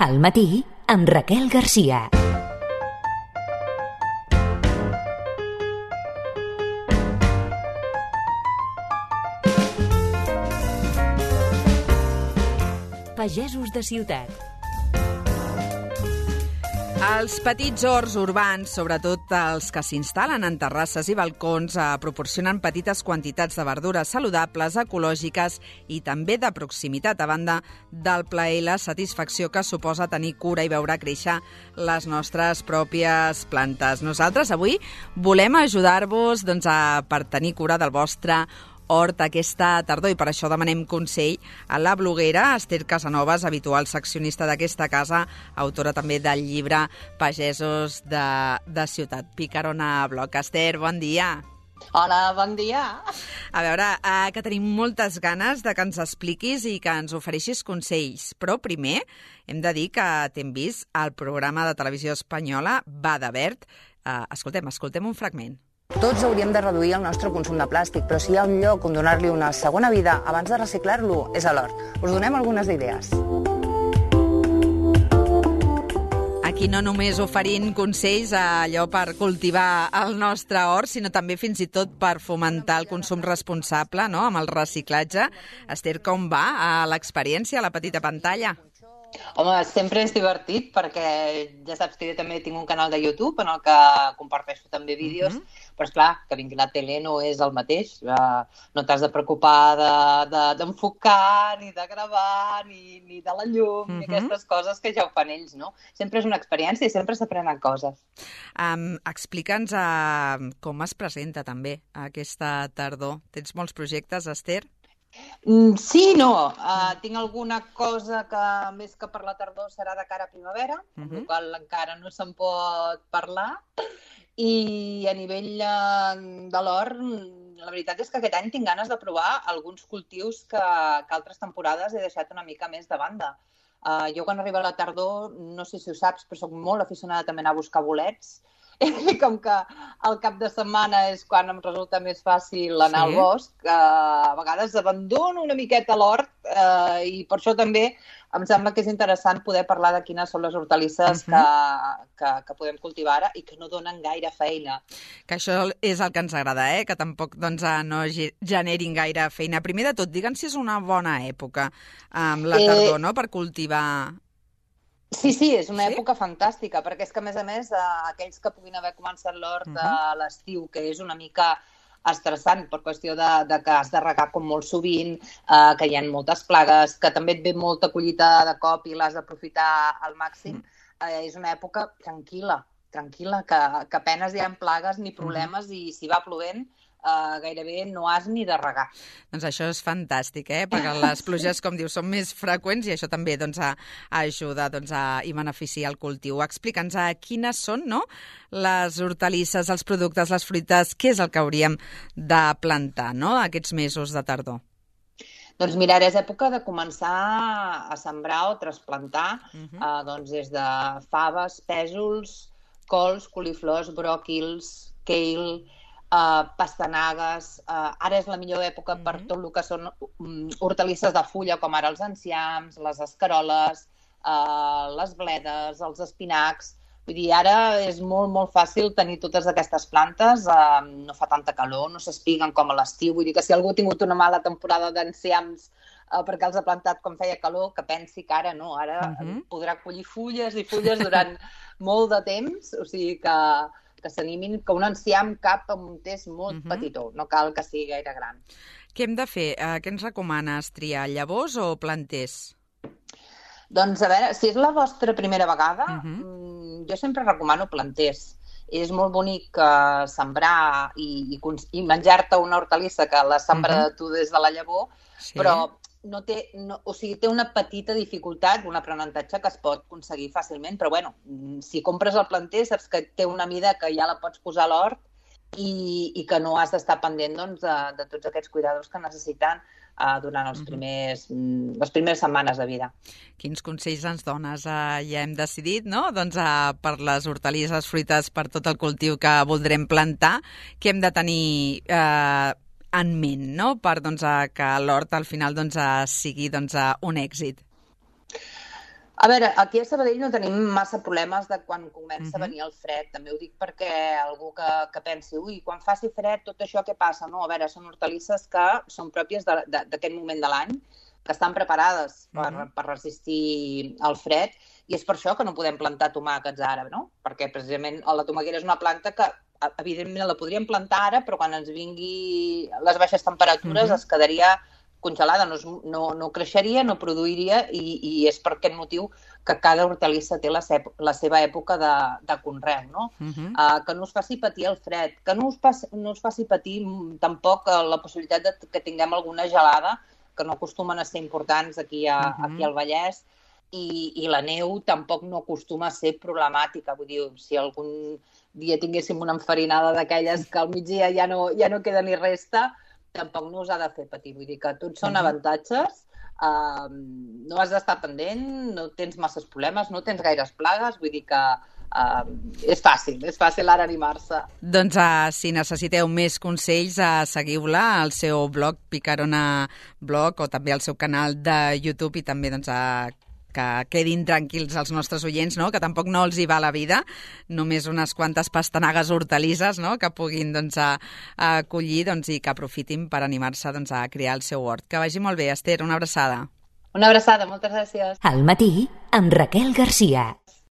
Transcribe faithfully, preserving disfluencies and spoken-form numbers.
Al matí, amb Raquel Garcia. Pagesos de ciutat. Els petits horts urbans, sobretot els que s'instal·len en terrasses i balcons, eh, proporcionen petites quantitats de verdures saludables, ecològiques i també de proximitat, a banda del plaer i la satisfacció que suposa tenir cura i veure créixer les nostres pròpies plantes. Nosaltres avui volem ajudar-vos doncs, a, per tenir cura del vostre hort aquesta tardor, i per això demanem consell a la bloguera Esther Casanovas, habitual seccionista d'aquesta casa, autora també del llibre Pagesos de, de Ciutat. Picarona Bloc. Esther, bon dia. Hola, bon dia. A veure, eh, que tenim moltes ganes de que ens expliquis i que ens ofereixis consells, però primer hem de dir que t'hem vist al programa de televisió espanyola Va de Verd. Eh, escoltem, escoltem un fragment. Tots hauríem de reduir el nostre consum de plàstic, però si hi ha un lloc on donar-li una segona vida abans de reciclar-lo, és a l'hort. Us donem algunes idees. Aquí no només oferint consells allò per cultivar el nostre hort, sinó també fins i tot per fomentar el consum responsable, no?, amb el reciclatge. Esther, com va a l'experiència a la petita pantalla? Home, sempre és divertit perquè ja saps que jo també tinc un canal de YouTube en el que comparteixo també vídeos, uh-huh. però esclar, que vingui la tele no és el mateix. Uh, no t'has de preocupar d'enfocar, de, de, ni de gravar, ni, ni de la llum, uh-huh. ni aquestes coses que ja ho fan ells, no? Sempre és una experiència i sempre s'aprenen coses. Um, Explica'ns uh, com es presenta també aquesta tardor. Tens molts projectes, Esther? Mm, sí, no. Uh, tinc alguna cosa que més que per la tardor serà de cara a primavera, uh-huh. amb la qual encara no se'n pot parlar. I a nivell uh, de l'hort, la veritat és que aquest any tinc ganes de provar alguns cultius que, que altres temporades he deixat una mica més de banda. Uh, jo quan arriba la tardor, no sé si ho saps, però soc molt aficionada també a anar a buscar bolets. I com que el cap de setmana és quan em resulta més fàcil anar sí. al bosc, eh, a vegades abandono una miqueta l'hort eh, i per això també em sembla que és interessant poder parlar de quines són les hortalisses uh-huh. que, que, que podem cultivar ara i que no donen gaire feina. Que això és el que ens agrada, eh? Que tampoc doncs, no generin gaire feina. Primer de tot, digue'ns si és una bona època amb la tardor, eh... no?, per cultivar... Sí, sí, és una sí? època fantàstica, perquè és que, a més a més, eh, aquells que puguin haver començat l'hort uh-huh. a l'estiu, que és una mica estressant per qüestió de, de que has de regar com molt sovint, eh, que hi ha moltes plagues, que també et ve molta collita de cop i l'has d'aprofitar al màxim, uh-huh. eh, és una època tranquil·la, tranquil·la, que, que apenes hi ha plagues ni problemes uh-huh. i si va plovent, Uh, gairebé no has ni de regar. Doncs això és fantàstic, eh? Perquè les pluges, com dius, són més freqüents i això també doncs, a, a ajuda doncs, a, i beneficia el cultiu. Explica'ns a quines són, no?, les hortalisses, els productes, les fruites, què és el que hauríem de plantar, no?, aquests mesos de tardor. Doncs mira, ara és època de començar a sembrar o trasplantar uh-huh. uh, doncs des de faves, pèsols, cols, coliflors, bròquils, kale, Uh, pastanagues, uh, ara és la millor època mm-hmm. per tot el que són um, hortalisses de fulla, com ara els enciams, les escaroles, uh, les bledes, els espinacs. Vull dir, ara és molt, molt fàcil tenir totes aquestes plantes, uh, no fa tanta calor, no s'espiguen com a l'estiu. Vull dir que si algú ha tingut una mala temporada d'enciams uh, perquè els ha plantat quan feia calor, que pensi que ara no, ara mm-hmm. podrà collir fulles i fulles durant molt de temps, o sigui que... que s'animin, que un enciam cap amb un test molt uh-huh. petitó, no cal que sigui gaire gran. Què hem de fer? Uh, què ens recomanes? Triar llavors o planters? Doncs a veure, si és la vostra primera vegada, uh-huh. jo sempre recomano planters. És molt bonic uh, sembrar i, i, i menjar-te una hortalissa que la sembra uh-huh. tu des de la llavor, sí. però no té, no, o sigui, té una petita dificultat, un aprenentatge que es pot aconseguir fàcilment, però bueno, si compres el planter saps que té una mida que ja la pots posar a l'hort i, i que no has d'estar pendent doncs, de, de tots aquests cuidadors que necessiten uh, durant els primers, mm, les primeres setmanes de vida. Quins consells ens dones? Uh, ja hem decidit, no?, doncs, uh, per les hortalisses, fruites, per tot el cultiu que voldrem plantar, que hem de tenir... Uh, en ment, no?, per doncs, que l'hort al final doncs, sigui doncs, un èxit. A veure, aquí a Sabadell no tenim massa problemes de quan comença Mhm. a venir el fred. També ho dic perquè algú que, que pensi, ui, quan faci fred, tot això què passa? No, a veure, són hortalisses que són pròpies de- de- d'aquest moment de l'any, que estan preparades per, Mhm. per resistir el fred, i és per això que no podem plantar tomàquets ara, no? Perquè precisament la tomaquera és una planta que evidentment la podríem plantar ara, però quan ens vingui les baixes temperatures Mhm. es quedaria congelada, no, es, no, no creixeria, no produiria, i, i és per aquest motiu que cada hortalissa té la, sep, la seva època de, de conreu, no? Mhm. Uh, que no us faci patir el fred, que no us, pas, no us faci patir mm, tampoc uh, la possibilitat de que tinguem alguna gelada, que no acostumen a ser importants aquí, a, Mhm. aquí al Vallès, i, i la neu tampoc no acostuma a ser problemàtica. Vull dir, si algun dia tinguéssim una enfarinada d'aquelles que al migdia ja no, ja no queda ni resta, tampoc no us ha de fer patir. Vull dir que tots són Mhm. avantatges, uh, no has d'estar pendent, no tens masses problemes, no tens gaires plagues, vull dir que uh, és fàcil, és fàcil ara animar-se. Doncs uh, si necessiteu més consells, uh, seguiu-la al seu blog Picarona Blog, o també al seu canal de YouTube, i també doncs, uh, que quedin tranquils els nostres oients, no? Que tampoc no els hi va la vida, només unes quantes pastanagues hortalisses, no? Que puguin doncs, a, a collir, doncs, i que aprofitin per animar-se, doncs, a crear el seu hort. Que vagi molt bé, Esther, una abraçada. Una abraçada, moltes gràcies. Al matí, amb Raquel Garcia.